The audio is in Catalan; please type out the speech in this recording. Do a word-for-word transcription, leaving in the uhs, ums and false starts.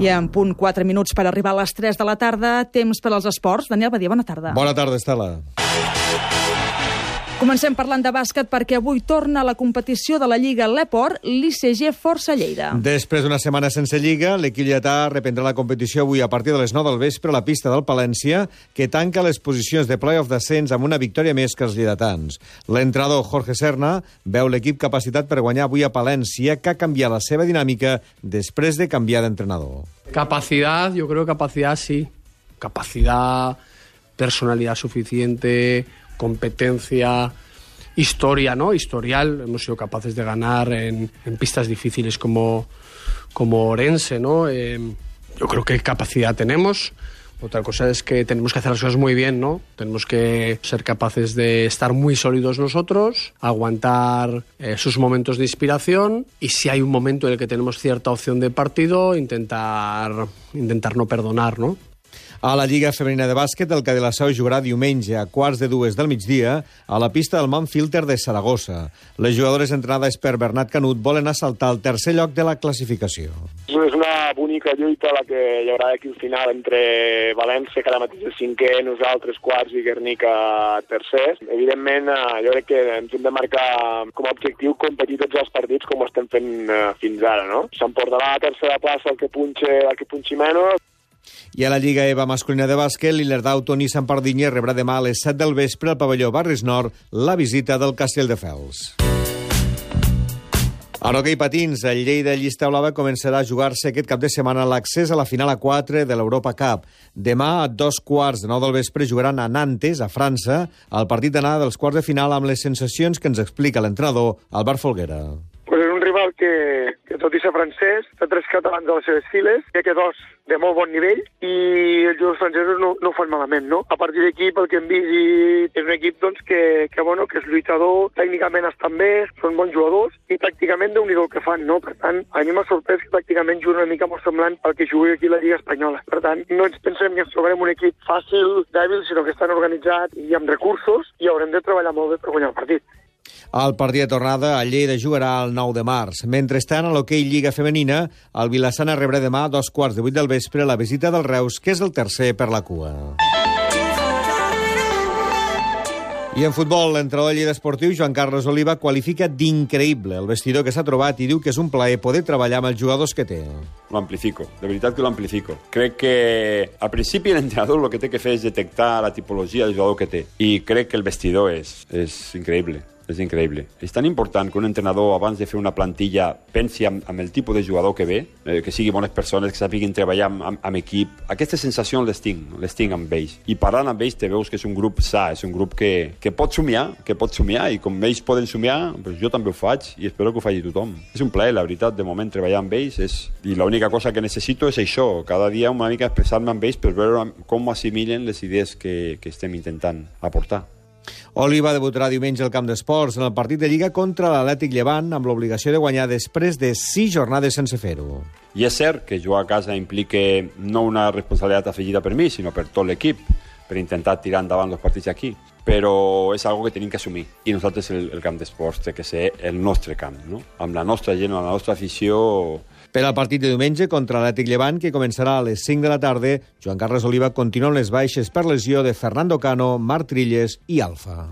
I en punt quatre minuts per arribar a les tres de la tarda, temps per als esports. Daniel Badia, bona tarda. Bona tarda, Estela. Comencem parlant de bàsquet perquè avui torna a la competició de la Lliga l'Eport, l'I C G Força Lleida. Després d'una setmana sense Lliga, l'equip lletà reprendrà la competició avui a partir de les nou del vespre a la pista del Palència, que tanca les posicions de play-off d'ascens amb una victòria més que els lleidatans. L'entrenador Jorge Serna veu l'equip capacitat per guanyar avui a Palència, que ha canviat la seva dinàmica després de canviar d'entrenador. Capacidad, yo creo capacidad sí. Capacidad, personalidad suficiente, competencia, historia, ¿no? Historial. Hemos sido capaces de ganar en, en pistas difíciles como, como Orense, ¿no? Eh, yo creo que capacidad tenemos. Otra cosa es que tenemos que hacer las cosas muy bien, ¿no? Tenemos que ser capaces de estar muy sólidos nosotros, aguantar eh, sus momentos de inspiración y si hay un momento en el que tenemos cierta opción de partido, intentar, intentar no perdonar, ¿no? A la Lliga Femenina de Bàsquet, el Cadelasau jugarà diumenge a quarts de dues del migdia a la pista del Manfilter de Saragossa. Les jugadores entrenades per Bernat Canut volen assaltar el tercer lloc de la classificació. És una bonica lluita la que hi haurà aquí al final entre València, que ara mateix és cinquè, nosaltres quarts i Guernica tercers. Evidentment, jo crec que ens hem de marcar com a objectiu competir tots els partits com ho estem fent fins ara, no? S'emportarà la tercera plaça el que punxi, el que punxi menys. I a la Lliga EVA masculina de bàsquet, l'Illerdau Toni Sampardinha rebrà demà a les set del vespre al pavelló Barris Nord la visita del Castelldefels. A l'hoquei patins, el Lleida Llista Blava començarà a jugar-se aquest cap de setmana l'accés a la final a quatre de l'Europa Cup. Demà, a dos quarts de nou del vespre, jugaran a Nantes, a França, el partit d'anada dels quarts de final amb les sensacions que ens explica l'entrenador Albert Folguera. Pues és un rival que, que tot i ser francès, té tres catalans a les seves files, que que dos de molt bon nivell, i els jugadors francesos no, no ho fan malament, no? A partir d'aquí, pel que hem vist, és un equip doncs, que, que, bueno, que és lluitador, tècnicament estan bé, són bons jugadors, i tàcticament déu-n'hi-do el que fan, no? Per tant, a mi m'ha sorprès que tàcticament juguen una mica molt semblant al que jugui aquí a la Lliga Espanyola. Per tant, no ens pensem que ens trobarem un equip fàcil, dèbil, sinó que estan organitzats i amb recursos, i haurem de treballar molt bé per guanyar el partit. El partit de tornada a Lleida jugarà el nou de març. Mentrestant, a l'hoquei Lliga Femenina, el Vilassana rebrà demà a dos quarts de vuit del vespre la visita del Reus, que és el tercer per la cua. I en futbol, l'entrenador de Lleida Esportiu, Joan Carles Oliva, qualifica d'increïble el vestidor que s'ha trobat i diu que és un plaer poder treballar amb els jugadors que té. Lo amplifico, de veritat que lo amplifico. Crec que al principi l'entrenador el que té que fer és detectar la tipologia del jugador que té. I crec que el vestidor és, és increïble. És increïble. És tan important que un entrenador, abans de fer una plantilla, pensi amb, amb el tipus de jugador que ve, eh, que siguin bones persones, que sàpiguin treballar amb, amb, amb equip. Aquesta sensació les tinc, les tinc amb ells. I parlant amb ells te veus que és un grup sa, és un grup que, que pot somiar, que pot somiar, i com ells poden somiar, doncs jo també ho faig, i espero que ho faci tothom. És un plaer, la veritat, de moment treballar amb ells, és... i l'única cosa que necessito és això, cada dia una mica expressar-me amb ells per veure com assimilen les idees que, que estem intentant aportar. Oliva debutarà diumenge al Camp d'Esports en el partit de Lliga contra l'Atlètic Llevant amb l'obligació de guanyar després de sis jornades sense fer-ho. I és cert que jugar a casa implica no una responsabilitat afegida per mi, sinó per tot l'equip, per intentar tirar endavant els partits aquí. Però és algo que tenim que assumir. I nosaltres el, el Camp d'Esports té que ser el nostre camp, no? Amb la nostra gent, amb la nostra afició... Per al partit de diumenge contra l'Atlètic Llevant, que començarà a les cinc de la tarda, Joan Carles Oliva continua amb les baixes per lesió de Fernando Cano, Marc Trilles i Alfa.